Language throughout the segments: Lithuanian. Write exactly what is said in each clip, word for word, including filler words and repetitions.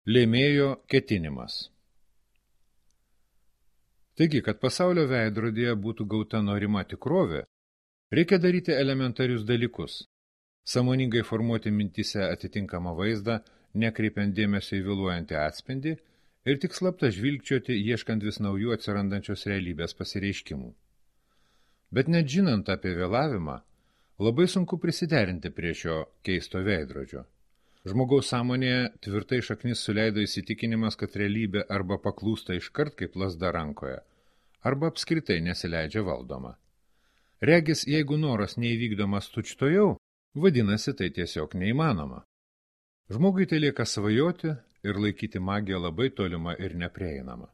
Lėmėjo ketinimas. Taigi, kad pasaulio veidrodyje būtų gauta norima tikrovė, reikia daryti elementarius dalykus. Sąmoningai formuoti mintyse atitinkamą vaizdą, nekreipiant dėmesio į vėluojantį atspindį ir tik slapta žvilgčioti, ieškant vis naujų atsirandančios realybės pasireiškimų. Bet net žinant apie vėlavimą, labai sunku prisiderinti prie šio keisto veidrodžio. Žmogaus sąmonėje tvirtai šaknis suleido įsitikinimas, kad realybė arba paklūsta iškart kaip lazda rankoje, arba apskritai nesileidžia valdoma. Regis, jeigu noras neįvykdomas tučtojau, vadinasi tai tiesiog neįmanoma. Žmogui tai lieka svajoti ir laikyti magiją labai tolimą ir neprieinamą.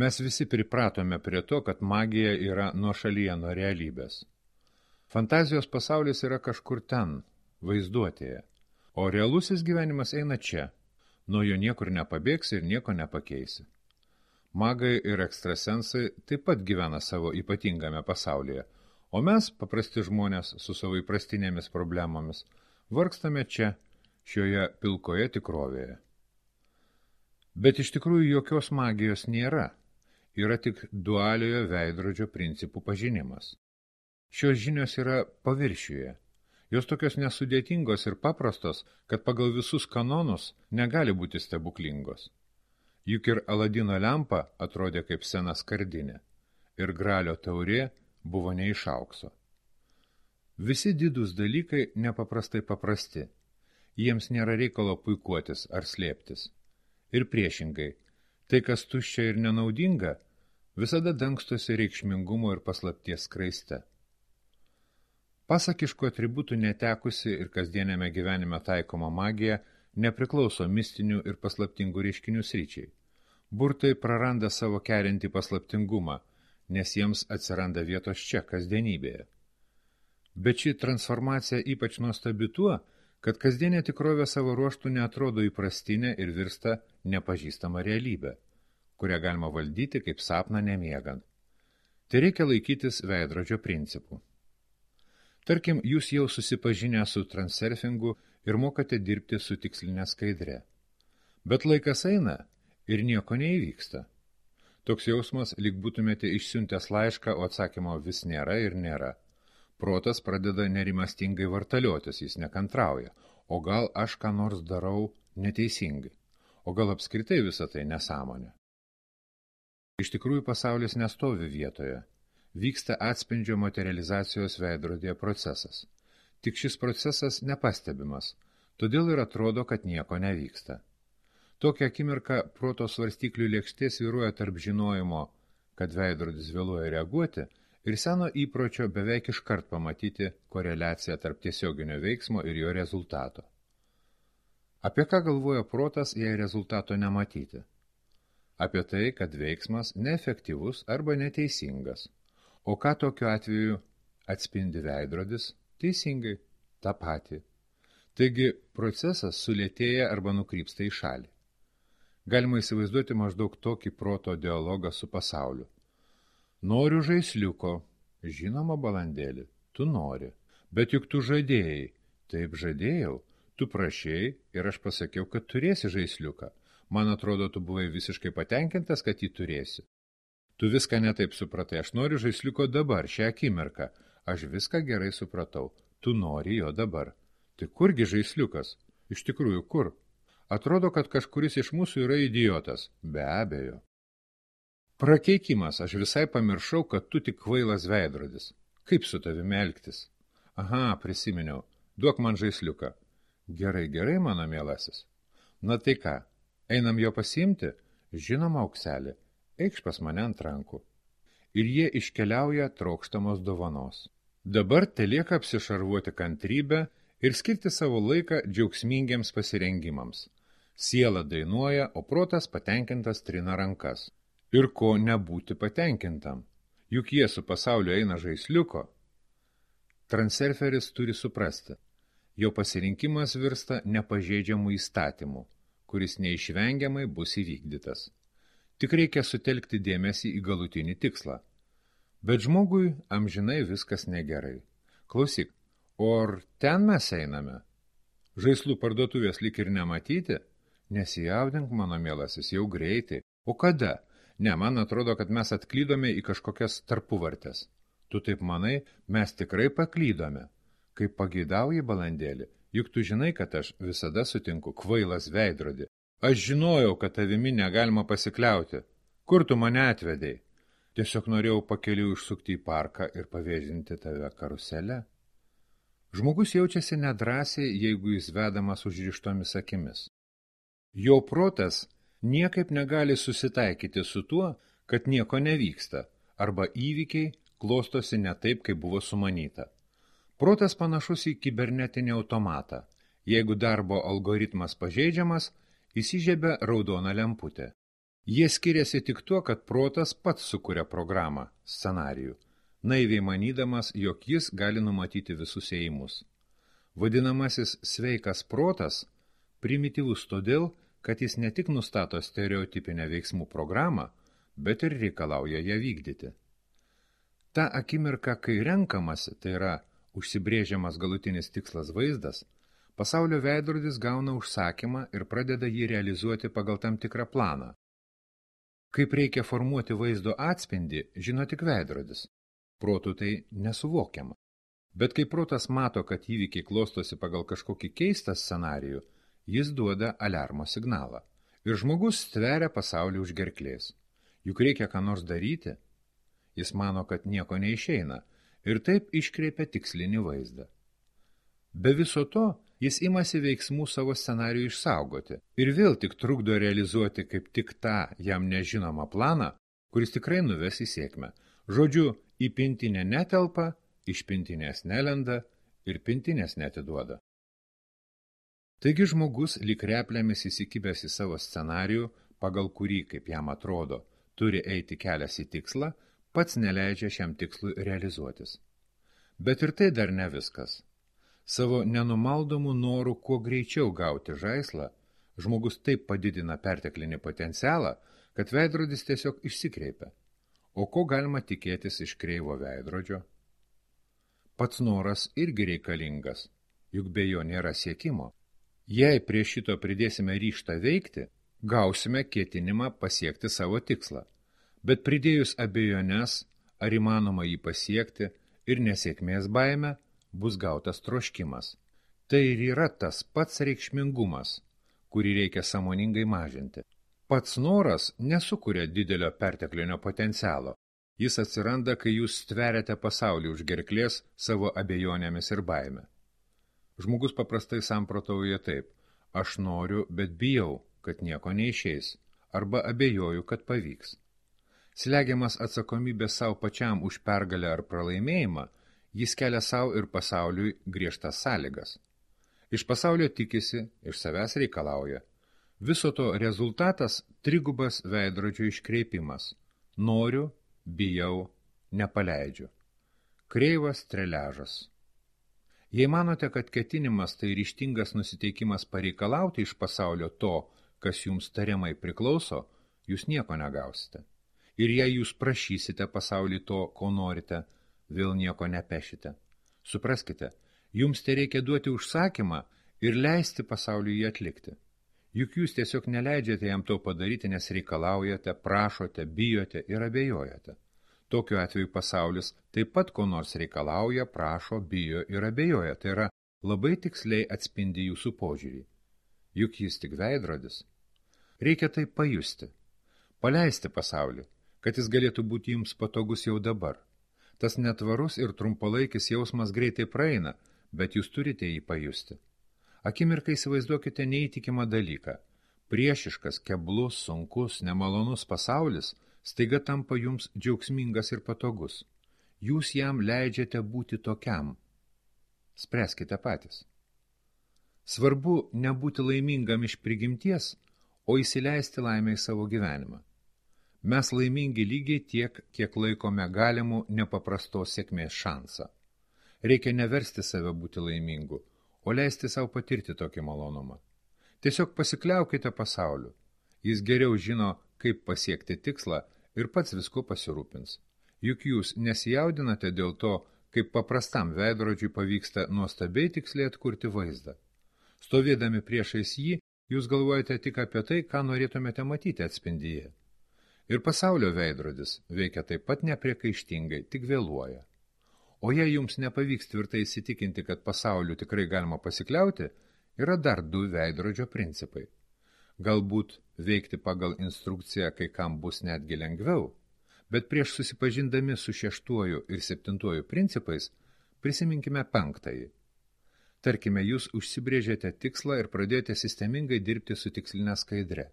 Mes visi pripratome prie to, kad magija yra nuošalyje nuo realybės. Fantazijos pasaulis yra kažkur ten, vaizduotėje. O realusis gyvenimas eina čia, nuo jo niekur nepabėgsi ir nieko nepakeisi. Magai ir ekstrasensai taip pat gyvena savo ypatingame pasaulyje, o mes, paprasti žmonės su savo įprastinėmis problemomis, vargstame čia, šioje pilkoje tikrovėje. Bet iš tikrųjų jokios magijos nėra, yra tik dualiojo veidrodžio principų pažinimas. Šios žinios yra paviršiuje. Jos tokios nesudėtingos ir paprastos, kad pagal visus kanonus negali būti stebuklingos. Juk ir Aladino lempa atrodė kaip sena skardinė, ir gralio taurė buvo ne iš aukso. Visi didūs dalykai nepaprastai paprasti, jiems nėra reikalo puikuotis ar slėptis. Ir priešingai, tai, kas tuščia ir nenaudinga, visada dangstosi reikšmingumo ir paslapties skraiste. Pasakiškų atributų netekusi ir kasdienėme gyvenime taikoma magija nepriklauso mistinių ir paslaptingų reiškinių sričiai. Burtai praranda savo kerinti paslaptingumą, nes jiems atsiranda vietos čia, kasdienybėje. Bet ši transformacija ypač nuostabi tuo, kad kasdienė tikrovė savo ruožtų neatrodo įprastinė ir virsta nepažįstama realybė, kurią galima valdyti kaip sapną nemiegant. Tai reikia laikytis veidrodžio principų. Tarkim, jūs jau susipažinę su transurfingu ir mokate dirbti su tikslinė skaidre. Bet laikas eina ir nieko neįvyksta. Toks jausmas, lyg būtumėte išsiuntęs laišką, o atsakymo vis nėra ir nėra. Protas pradeda nerimastingai vartaliotis, jis nekantrauja. O gal aš ką nors darau neteisingai? O gal apskritai visą tai nesąmonė? Iš tikrųjų pasaulis nestovi vietoje. Vyksta atspindžio materializacijos veidrodėje procesas. Tik šis procesas nepastebimas, todėl ir atrodo, kad nieko nevyksta. Tokią akimirką proto svarstyklių lėkštė svyruoja tarp žinojimo, kad veidrodis vėluoja reaguoti, ir seno įpročio beveik iškart pamatyti koreliaciją tarp tiesioginio veiksmo ir jo rezultato. Apie ką galvoja protas, jei rezultato nematyti? Apie tai, kad veiksmas neefektyvus arba neteisingas. O ką tokiu atveju atspindi veidrodis? Teisingai, tą patį. Taigi procesas sulėtėja arba nukrypsta į šalį. Galima įsivaizduoti maždaug tokį proto dialogą su pasauliu. Noriu žaisliuko. Žinoma, balandėli, tu nori. Bet juk tu žadėjai. Taip žadėjau. Tu prašėjai ir aš pasakiau, kad turėsi žaisliuką. Man atrodo, tu buvai visiškai patenkintas, kad jį turėsi. Tu viską netaip supratai, aš noriu žaisliuko dabar, šią akimirką. Aš viską gerai supratau, tu nori jo dabar. Tai kurgi žaisliukas? Iš tikrųjų, kur? Atrodo, kad kažkuris iš mūsų yra idiotas. Be abejo. Prakeikimas, aš visai pamiršau, kad tu tik kvailas veidrodis. Kaip su tavimi elgtis? Aha, prisiminiau, duok man žaisliuką. Gerai, gerai, mano mielasis. Na tai ką, einam jo pasiimti? Žinoma, aukselį. Eikš pas mane ant rankų. Ir jie iškeliauja trokštamos dovanos. Dabar telieka apsišarvuoti kantrybę ir skirti savo laiką džiaugsmingiems pasirengimams. Siela dainuoja, o protas patenkintas trina rankas. Ir ko nebūti patenkintam? Juk jie su pasauliu eina žaisliuko. Transurferis turi suprasti. Jo pasirinkimas virsta nepažeidžiamų įstatymų, kuris neišvengiamai bus įvykdytas. Tik reikia sutelkti dėmesį į galutinį tikslą. Bet žmogui amžinai viskas negerai. Klausyk, o ar ten mes einame? Žaislų parduotuvės lyg ir nematyti? Nesijaudink, mano mielasis, jau greitai. O kada? Ne, man atrodo, kad mes atklydome į kažkokias tarpuvartes. Tu taip manai, mes tikrai paklydome. Kaip pageidauji, balandėlį, juk tu žinai, kad aš visada sutinku kvailas veidrodį. Aš žinojau, kad tavimi negalima pasikliauti. Kur tu mane atvedei? Tiesiog norėjau pakeliu išsukti į parką ir pavėžinti tave karusele. Žmogus jaučiasi nedrąsiai, jeigu jis vedamas užrištomis akimis. Jo protas niekaip negali susitaikyti su tuo, kad nieko nevyksta, arba įvykiai klostosi ne taip, kaip buvo sumanyta. Protas panašus į kibernetinį automatą. Jeigu darbo algoritmas pažeidžiamas, įsižiebia raudona lemputė. Jie skiriasi tik tuo, kad protas pats sukuria programą, scenarijų, naiviai manydamas, jog jis gali numatyti visus ėjimus. Vadinamasis sveikas protas primityvus todėl, kad jis ne tik nustato stereotipinę veiksmų programą, bet ir reikalauja ją vykdyti. Ta akimirka, kai renkamasi, tai yra užsibrėžiamas galutinis tikslas vaizdas, pasaulio veidrodis gauna užsakymą ir pradeda jį realizuoti pagal tam tikrą planą. Kaip reikia formuoti vaizdo atspindį, žino tik veidrodis. Protų tai nesuvokiama. Bet kai protas mato, kad įvykiai klostosi pagal kažkokį keistą scenarijų, jis duoda aliarmo signalą. Ir žmogus stveria pasaulį už gerklės. Juk reikia ką nors daryti. Jis mano, kad nieko neišeina ir taip iškreipia tikslinį vaizdą. Be viso to, jis imasi veiksmų savo scenarijų išsaugoti ir vėl tik trukdo realizuoti kaip tik tą jam nežinomą planą, kuris tikrai nuves į sėkmę. Žodžiu, į pintinę netelpa, iš pintinės nelenda ir pintinės neatiduoda. Taigi žmogus lyg replėmis įsikibęs į savo scenarijų, pagal kurį, kaip jam atrodo, turi eiti kelias į tikslą, pats neleidžia šiam tikslui realizuotis. Bet ir tai dar ne viskas. Savo nenumaldomų norų kuo greičiau gauti žaislą, žmogus taip padidina perteklinį potencialą, kad veidrodis tiesiog išsikreipia. O ko galima tikėtis iš kreivo veidrodžio? Pats noras irgi reikalingas, juk be jo nėra siekimo. Jei prie šito pridėsime ryžtą veikti, gausime ketinimą pasiekti savo tikslą. Bet pridėjus abejones, ar įmanoma jį pasiekti ir nesėkmės baime, bus gautas troškimas. Tai ir yra tas pats reikšmingumas, kurį reikia sąmoningai mažinti. Pats noras nesukuria didelio perteklinio potencialo. Jis atsiranda, kai jūs stveriate pasaulį už gerklės savo abejonėmis ir baime. Žmogus paprastai samprotauja taip: aš noriu, bet bijau, kad nieko neišeis, arba abejoju, kad pavyks. Slegiamas atsakomybės savo pačiam už pergalę ar pralaimėjimą, jis kelia savo ir pasauliui griežtas sąlygas. Iš pasaulio tikisi, iš savęs reikalauja. Viso to rezultatas trigubas veidrodžio iškreipimas. Noriu, bijau, nepaleidžiu. Kreivas treležas. Jei manote, kad ketinimas tai ryžtingas nusiteikimas pareikalauti iš pasaulio to, kas jums tariamai priklauso, jūs nieko negausite. Ir jei jūs prašysite pasaulį to, ko norite, vėl nieko nepešite. Supraskite, jums tai reikia duoti užsakymą ir leisti pasauliui jį atlikti. Juk jūs tiesiog neleidžiate jam to padaryti, nes reikalaujate, prašote, bijote ir abejojate. Tokiu atveju pasaulis taip pat ko nors reikalauja, prašo, bijo ir abejoja. Tai yra labai tiksliai atspindi jūsų požiūrį. Juk jis tik veidrodis. Reikia tai pajusti. Paleisti pasaulį, kad jis galėtų būti jums patogus jau dabar. Tas netvarus ir trumpalaikis jausmas greitai praeina, bet jūs turite jį pajusti. Akimirkai įsivaizduokite neįtikimą dalyką. Priešiškas, keblus, sunkus, nemalonus pasaulis staiga tampa jums džiaugsmingas ir patogus. Jūs jam leidžiate būti tokiam. Spręskite patys. Svarbu nebūti laimingam iš prigimties, o įsileisti laimę į savo gyvenimą. Mes laimingi lygiai tiek, kiek laikome galimų nepaprastos sėkmės šansą. Reikia neversti save būti laimingu, o leisti savo patirti tokį malonumą. Tiesiog pasikliaukite pasauliu. Jis geriau žino, kaip pasiekti tikslą ir pats visko pasirūpins. Juk jūs nesijaudinate dėl to, kaip paprastam veidrodžiui pavyksta nuostabiai tiksliai atkurti vaizdą. Stovėdami priešais jį, Jūs galvojate tik apie tai, ką norėtumėte matyti atspindyje. Ir pasaulio veidrodis veikia taip pat nepriekaištingai, tik vėluoja. O jei jums nepavyks tvirtai įsitikinti, kad pasauliu tikrai galima pasikliauti, yra dar du veidrodžio principai. Galbūt veikti pagal instrukciją kai kam bus netgi lengviau, bet prieš susipažindami su šeštuoju ir septintuoju principais prisiminkime penktąjį. Tarkime, jūs užsibrėžėte tikslą ir pradėjote sistemingai dirbti su tikslinė skaidre.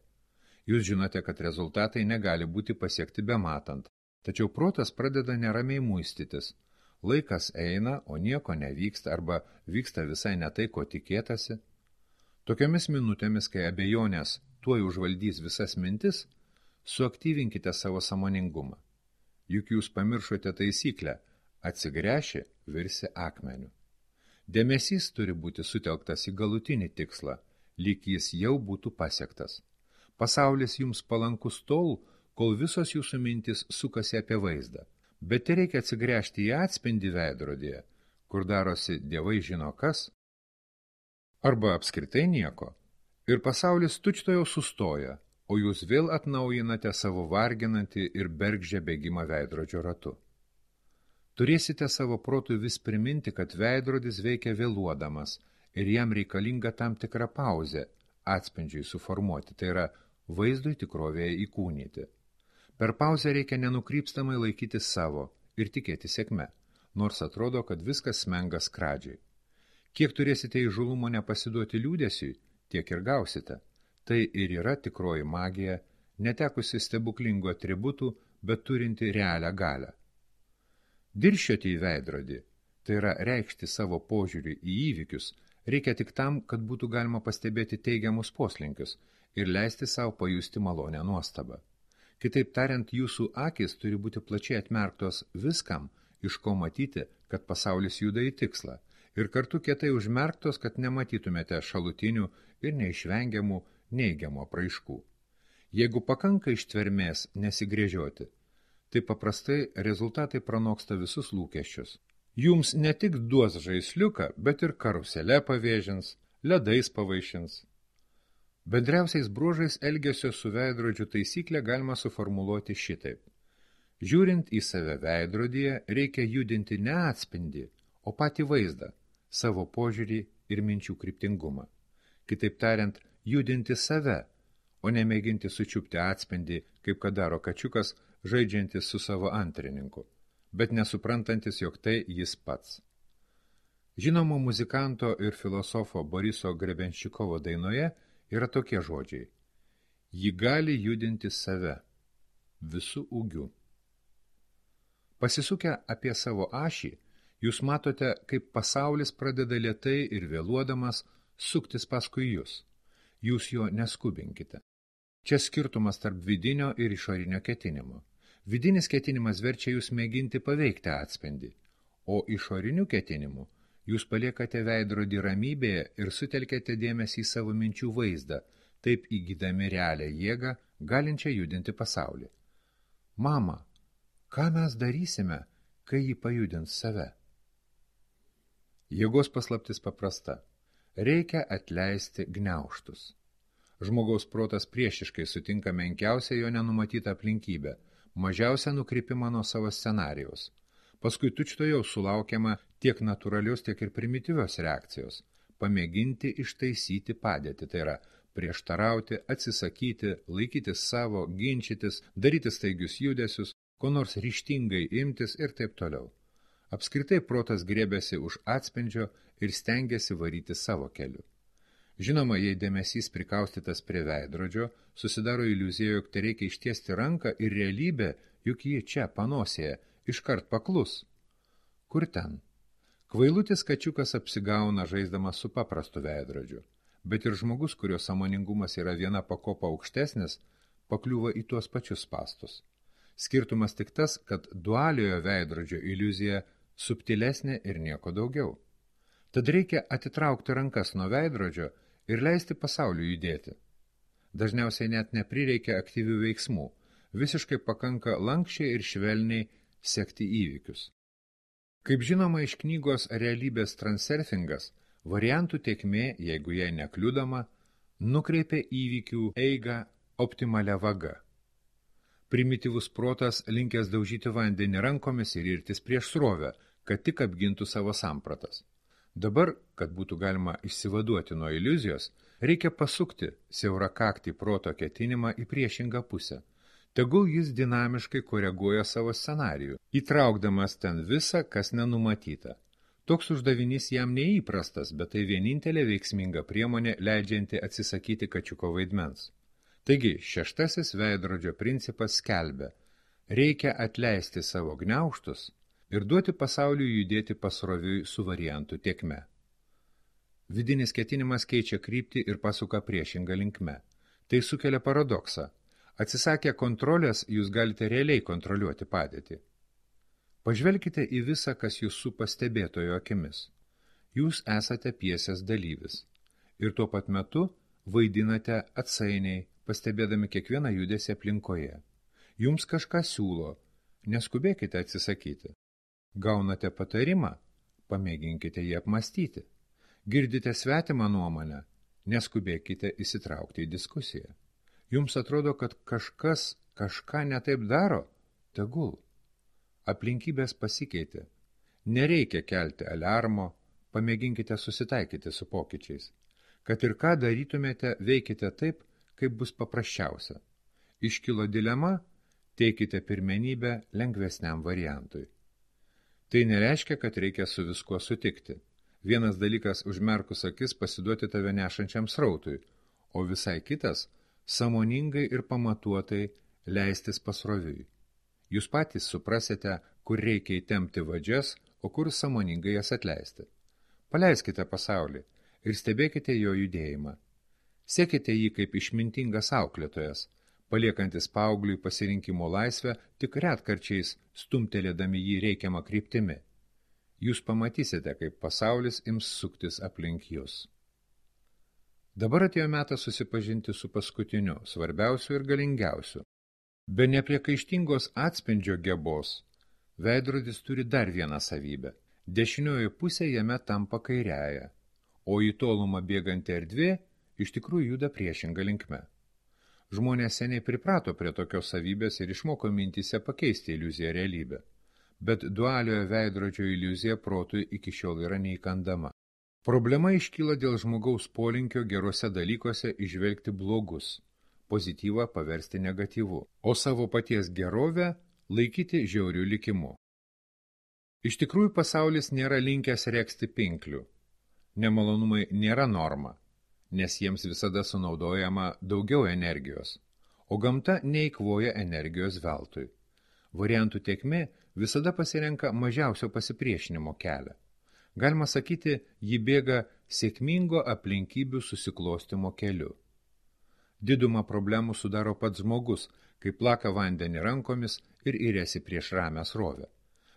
Jūs žinote, kad rezultatai negali būti pasiekti bematant, tačiau protas pradeda neramiai muistytis. Laikas eina, o nieko nevyksta arba vyksta visai ne tai, ko tikėtasi. Tokiomis minutėmis, kai abejonės tuoj užvaldys visas mintis, suaktyvinkite savo sąmoningumą. Juk jūs pamiršote taisyklę, atsigręši, virsi akmeniu. Dėmesys turi būti sutelktas į galutinį tikslą, lyg jis jau būtų pasiektas. Pasaulis jums palankus tol, kol visos jūsų mintis sukasi apie vaizdą. Bet reikia atsigręžti į atspindį veidrodyje, kur darosi dievai žino kas, arba apskritai nieko, ir pasaulis tučtuojau sustoja, o jūs vėl atnaujinate savo varginantį ir bergždžią bėgimą veidrodžio ratu. Turėsite savo protui vis priminti, kad veidrodis veikia vėluodamas ir jam reikalinga tam tikra pauzė atspindžiui suformuoti, tai yra vaizdui tikrovėje įkūnyti. Per pauzę reikia nenukrypstamai laikyti savo ir tikėti sėkme, nors atrodo, kad viskas smenga skradžiai. Kiek turėsite įžulumo nepasiduoti liūdesiui, tiek ir gausite. Tai ir yra tikroji magija, netekusi stebuklingų atributų, bet turinti realią galią. Dirščioti į veidrodį, tai yra reikšti savo požiūrį į įvykius, reikia tik tam, kad būtų galima pastebėti teigiamus poslinkius ir leisti savo pajusti malonę nuostabą. Kitaip tariant, jūsų akis turi būti plačiai atmerktos viskam, iš ko matyti, kad pasaulis juda į tikslą, ir kartu kietai užmerktos, kad nematytumėte šalutinių ir neišvengiamų neigiamų apraiškų. Jeigu pakanka ištvermės nesigrėžioti, tai paprastai rezultatai pranoksta visus lūkesčius. Jums ne tik duos žaisliuką, bet ir karuselę pavėžins, ledais pavaišins. Bendriausiais bruožais elgesio su veidrodžiu taisyklę galima suformuluoti šitaip. Žiūrint į save veidrodyje, reikia judinti ne atspindį, o patį vaizdą, savo požiūrį ir minčių kryptingumą. Kitaip tariant, judinti save, o nemėginti sučiupti atspindį, kaip kad daro kačiukas, žaidžiantis su savo antrininku, bet nesuprantantis, jog tai jis pats. Žinomo muzikanto ir filosofo Boriso Grebenščikovo dainoje yra tokie žodžiai. Ji gali judinti save visų ūgių. Pasisukę apie savo ašį, jūs matote, kaip pasaulis pradeda lėtai ir vėluodamas suktis paskui jūs. Jūs jo neskubinkite. Čia skirtumas tarp vidinio ir išorinio ketinimo. Vidinis ketinimas verčia jūs mėginti paveikti atspindį, o išoriniu ketinimu jūs paliekate veidrodį ramybėje ir sutelkėte dėmesį į savo minčių vaizdą, taip įgydami realią jėgą, galinčią judinti pasaulį. Mama, ką mes darysime, kai jį pajudins save? Jėgos paslaptis paprasta. Reikia atleisti gniaužtus. Žmogaus protas priešiškai sutinka menkiausią jo nenumatytą aplinkybę, mažiausią nukrypimą nuo savo scenarijaus. Paskui tučtuojau sulaukiama tiek natūralios, tiek ir primityvios reakcijos. Pamėginti ištaisyti padėtį, tai yra prieštarauti, atsisakyti, laikytis savo, ginčytis, daryti staigius judesius, ko nors ryžtingai imtis ir taip toliau. Apskritai protas grėbėsi už atspindžio ir stengiasi varyti savo keliu. Žinoma, jei dėmesys prikaustytas prie veidrodžio, susidaro iliuzija, jog tai reikia ištiesti ranką ir realybė, juk ji čia, panosėje, iškart paklus. Kur ten? Kvailutis kačiukas apsigauna žaisdamas su paprastu veidrodžiu, bet ir žmogus, kurio sąmoningumas yra viena pakopa aukštesnis, pakliūva į tuos pačius spastus. Skirtumas tik tas, kad dualiojo veidrodžio iliuzija subtilesnė ir nieko daugiau. Tad reikia atitraukti rankas nuo veidrodžio ir leisti pasauliu judėti. Dažniausiai net neprireikia aktyvių veiksmų, visiškai pakanka lankščiai ir švelniai sekti įvykius. Kaip žinoma iš knygos Realybės transurfingas, variantų tėkmė, jeigu jai nekliudoma, nukreipia įvykių eigą optimalia vaga. Primityvus protas linkęs daužyti vandenį rankomis ir irtis prieš srovę, kad tik apgintų savo sampratas. Dabar, kad būtų galima išsivaduoti nuo iliuzijos, reikia pasukti siaurakaktį proto ketinimą į priešingą pusę. Tegul jis dinamiškai koreguoja savo scenarijų, įtraukdamas ten visą, kas nenumatyta. Toks uždavinys jam neįprastas, bet tai vienintelė veiksminga priemonė, leidžianti atsisakyti kačiuko vaidmens. Taigi, šeštasis veidrodžio principas skelbia, reikia atleisti savo gniaužtus ir duoti pasauliui judėti pasroviui su variantų tėkme. Vidinis ketinimas keičia kryptį ir pasuka priešingą linkme. Tai sukelia paradoksą. Atsisakę kontrolės, jūs galite realiai kontroliuoti padėtį. Pažvelkite į visą, kas jūs supa stebėtojo akimis. Jūs esate pjesės dalyvis ir tuo pat metu vaidinate atsainiai, pastebėdami kiekvieną judesį aplinkoje. Jums kažką siūlo, neskubėkite atsisakyti. Gaunate patarimą, pamėginkite jį apmastyti. Girdite svetimą nuomonę, neskubėkite įsitraukti į diskusiją. Jums atrodo, kad kažkas kažką netaip daro, tegul. Aplinkybės pasikeitė. Nereikia kelti aliarmo, pamėginkite susitaikyti su pokyčiais. Kad ir ką darytumėte, veikite taip, kaip bus paprasčiausia. Iškilo dilema, teikite pirmenybę lengvesniam variantui. Tai nereiškia, kad reikia su viskuo sutikti. Vienas dalykas užmerkus akis pasiduoti tave nešančiam srautui, o visai kitas sąmoningai ir pamatuotai leistis pasroviui. Jūs patys suprasite, kur reikia įtempti vadžias, o kur sąmoningai jas atleisti. Paleiskite pasaulį ir stebėkite jo judėjimą. Sekite jį kaip išmintingas auklėtojas, paliekantis paaugliui pasirinkimo laisvę, tik retkarčiais stumtelėdami jį reikiamą kryptimi. Jūs pamatysite, kaip pasaulis ims suktis aplink jūs. Dabar atėjo metas susipažinti su paskutiniu, svarbiausiu ir galingiausiu. Be nepriekaištingos atspindžio gebos, veidrodis turi dar vieną savybę. Dešinioji pusė jame tampa kairiaja, o į tolumą bėganti erdvė iš tikrųjų juda priešinga linkme. Žmonės seniai priprato prie tokios savybės ir išmoko mintyse pakeisti iliuziją realybę. Bet dualiojo veidrodžio iliuzija protui iki šiol yra neįkandama. Problema iškyla dėl žmogaus polinkio geruose dalykuose įžvelgti blogus, pozityvą paversti negatyvu, o savo paties gerovę laikyti žiaurių likimu. Iš tikrųjų pasaulis nėra linkęs regzti pinklių. Nemalonumai nėra norma, nes jiems visada sunaudojama daugiau energijos, o gamta neįkvoja energijos veltui. Variantų tėkmė visada pasirenka mažiausio pasipriešinimo kelią. Galima sakyti, ji bėga sėkmingo aplinkybių susiklostimo keliu. Didumą problemų sudaro pats žmogus, kai plaka vandenį rankomis ir įrėsi prieš ramią srovę.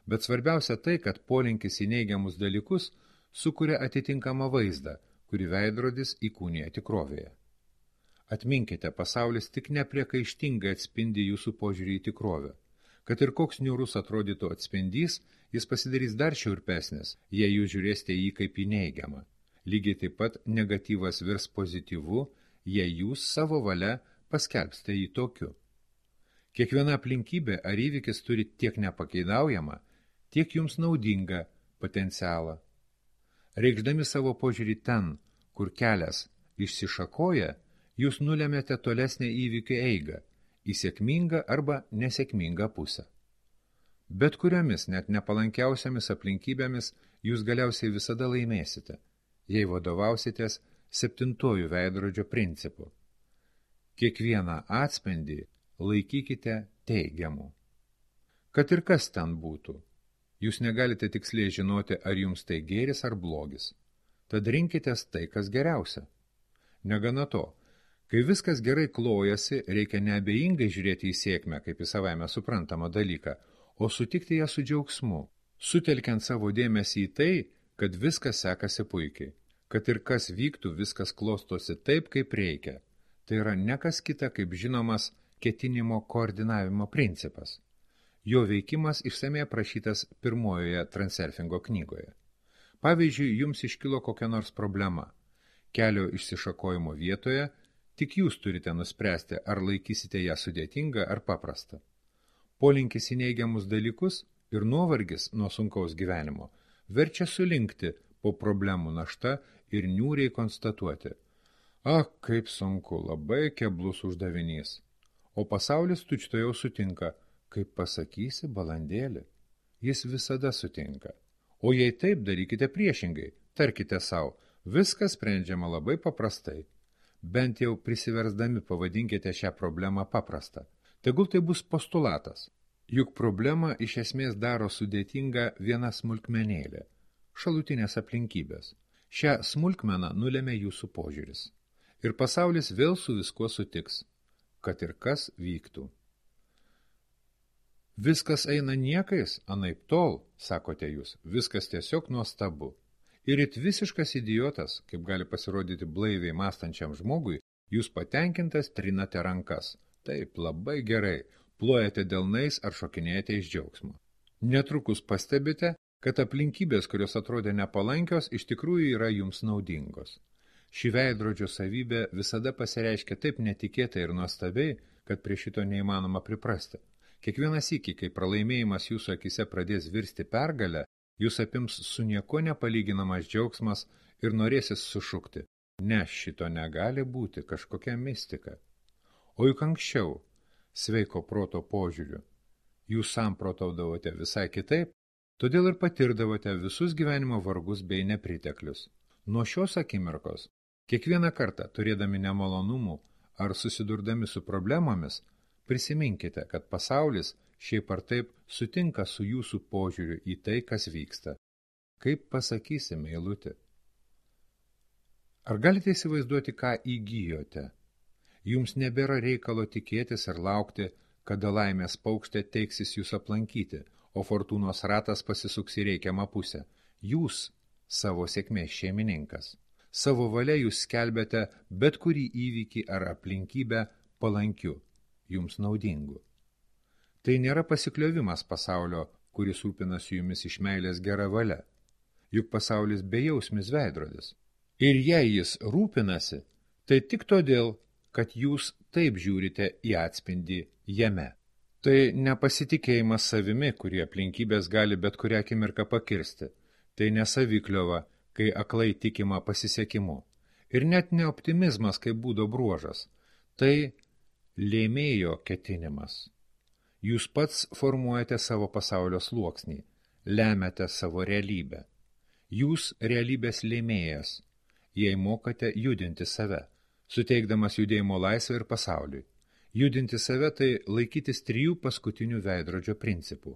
Bet svarbiausia tai, kad polinkis į neigiamus dalykus sukuria atitinkamą vaizdą, kurį veidrodis įkūnija tikrovėje. Atminkite, pasaulis tik nepriekaištingai atspindi jūsų požiūrį į tikrovę. Kad ir koks niūrus atrodytų atspindys, jis pasidarys dar šiurpesnis, jei jūs žiūrėsite jį kaip į neigiamą. Lygiai taip pat negatyvas virs pozityvu, jei jūs savo valia paskelbsite jį tokiu. Kiekviena aplinkybė ar įvykis turi tiek nepakeidaujamą, tiek jums naudingą potencialą. Reikšdami savo požiūrį ten, kur kelias išsišakoja, jūs nulemėte tolesnę įvykių eigą, į sėkmingą arba nesėkmingą pusę. Bet kuriomis, net nepalankiausiamis aplinkybėmis jūs galiausiai visada laimėsite, jei vadovausitės septintojų veidrodžio principu. Kiekvieną atspindį laikykite teigiamu. Kad ir kas ten būtų, jūs negalite tiksliai žinoti, ar jums tai gėris ar blogis. Tad rinkitės tai, kas geriausia. Negana to, kai viskas gerai klojasi, reikia neabejingai žiūrėti į sėkmę, kaip į savaime suprantamą dalyką, o sutikti ją su džiaugsmu, sutelkiant savo dėmesį į tai, kad viskas sekasi puikiai, kad ir kas vyktų, viskas klostosi taip, kaip reikia. Tai yra ne kas kita, kaip žinomas ketinimo koordinavimo principas. Jo veikimas išsamei aprašytas pirmojoje Transurfingo knygoje. Pavyzdžiui, jums iškilo kokia nors problema. Kelio išsišakojimo vietoje tik jūs turite nuspręsti, ar laikysite ją sudėtingą ar paprastą. Polinkis į neigiamus dalykus ir nuovargis nuo sunkaus gyvenimo verčia sulinkti po problemų našta ir niūriai konstatuoti: Ak, kaip sunku, labai keblus uždavinys. O pasaulis tučtuojau sutinka: Kaip pasakysi, balandėli. Jis visada sutinka. O jei taip, darykite priešingai, tarkite savo: Viskas sprendžiama labai paprastai. Bent jau prisiversdami pavadinkite šią problemą paprastą. Tegul tai bus postulatas. Juk problemą iš esmės daro sudėtinga viena smulkmenėlė – šalutinės aplinkybės. Šią smulkmeną nulėmė jūsų požiūris. Ir pasaulis vėl su viskuo sutiks, kad ir kas vyktų. Viskas eina niekais, anaip tol, sakote jūs, viskas tiesiog nuostabu. Ir it visiškas idiotas, kaip gali pasirodyti blaiviai mąstančiam žmogui, jūs patenkintas trinate rankas. Taip, labai gerai, plojate delnais ar šokinėjate iš džiaugsmo. Netrukus pastebite, kad aplinkybės, kurios atrodė nepalankios, iš tikrųjų yra jums naudingos. Ši veidrodžio savybė visada pasireiškia taip netikėtai ir nuostabiai, kad prie šito neįmanoma priprasti. Kiekvieną sykį, kai pralaimėjimas jūsų akise pradės virsti pergalę, jūs apims su nieko nepalyginamas džiaugsmas ir norėsis sušukti: Ne, šito negali būti, kažkokia mistika. O juk anksčiau, sveiko proto požiūriu, jūs samprotaudavote visai kitaip, todėl ir patirdavote visus gyvenimo vargus bei nepriteklius. Nuo šios akimirkos, kiekvieną kartą turėdami nemalonumų ar susidurdami su problemomis, prisiminkite, kad pasaulis šiaip ar taip sutinka su jūsų požiūriu į tai, kas vyksta. Kaip pasakysi, meilutė? Ar galite įsivaizduoti, ką įgijote? Jums nebėra reikalo tikėtis ir laukti, kada laimės paukštė teiksis jūs aplankyti, o fortūnos ratas pasisuks į reikiamą pusę. Jūs savo sėkmės šeimininkas. Savo valia jūs skelbiate bet kurį įvykį ar aplinkybę palankiu, jums naudingu. Tai nėra pasikliovimas pasaulio, kuris rūpinasi jumis iš meilės gera valia. Juk pasaulis bejausmis veidrodis. Ir jei jis rūpinasi, tai tik todėl, kad jūs taip žiūrite į atspindį jame. Tai nepasitikėjimas savimi, kurį aplinkybės gali bet kurią akimirką pakirsti. Tai nesavikliova, kai aklai tikima pasisekimu. Ir net ne optimizmas, kaip būdo bruožas. Tai lėmėjo ketinimas. Jūs pats formuojate savo pasaulio sluoksnį, lemiate savo realybę. Jūs realybės lėmėjas, jei mokate judinti save, suteikdamas judėjimo laisvę ir pasauliui. Judinti save tai laikytis trijų paskutinių veidrodžio principų.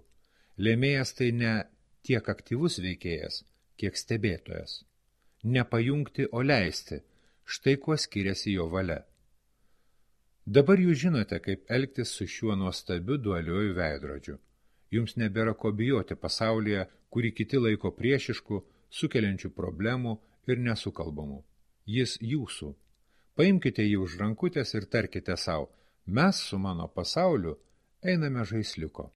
Lėmėjas tai ne tiek aktyvus veikėjas, kiek stebėtojas. Nepajungti, o leisti, štai kuo skiriasi jo valia. Dabar jūs žinote, kaip elgtis su šiuo nuostabiu dualiuoju veidrodžiu. Jums nebėra ko bijoti pasaulyje, kurį kiti laiko priešišku, sukeliančių problemų ir nesukalbamų. Jis jūsų. Paimkite jį už rankutės ir tarkite sau: Mes su mano pasauliu einame žaisliuko.